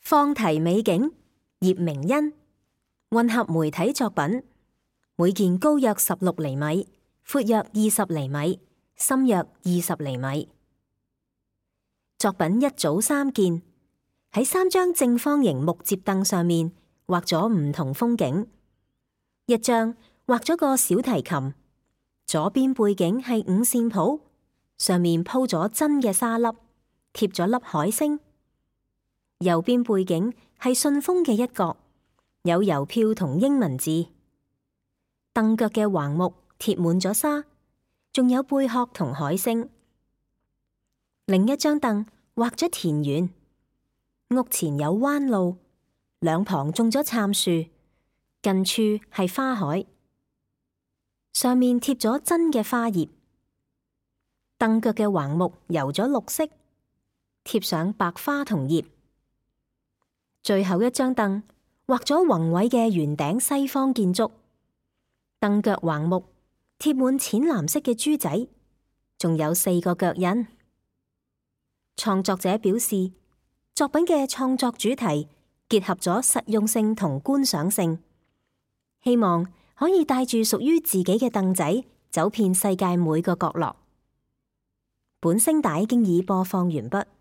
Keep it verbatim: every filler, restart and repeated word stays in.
放題美景，葉明欣，混合媒體作品，每件高約十六厘米，闊約二十厘米，深約二十厘米。作品一組三件，喺三張正方形木摺凳上面畫咗唔同風景。一張畫咗個小提琴，左邊背景係五線譜，上面鋪咗真嘅沙粒，貼咗粒海星。右邊背景係信封嘅一角，有郵票同英文字。凳腳嘅橫木貼滿咗沙，仲有貝殼同海星。另一張凳畫咗田園，屋前有彎路，兩旁種咗杉樹，近處係花海，上面貼咗真嘅花葉。凳腳嘅橫木油咗綠色，貼上白花同葉。最後一張凳畫咗宏偉嘅圓頂西方建築，凳腳橫木貼滿淺藍色嘅珠仔，仲有四個腳印。創作者表示，作品嘅創作主題結合咗實用性同觀賞性，希望可以帶住屬於自己嘅凳仔走遍世界每個角落。本聲帶經已播放完畢。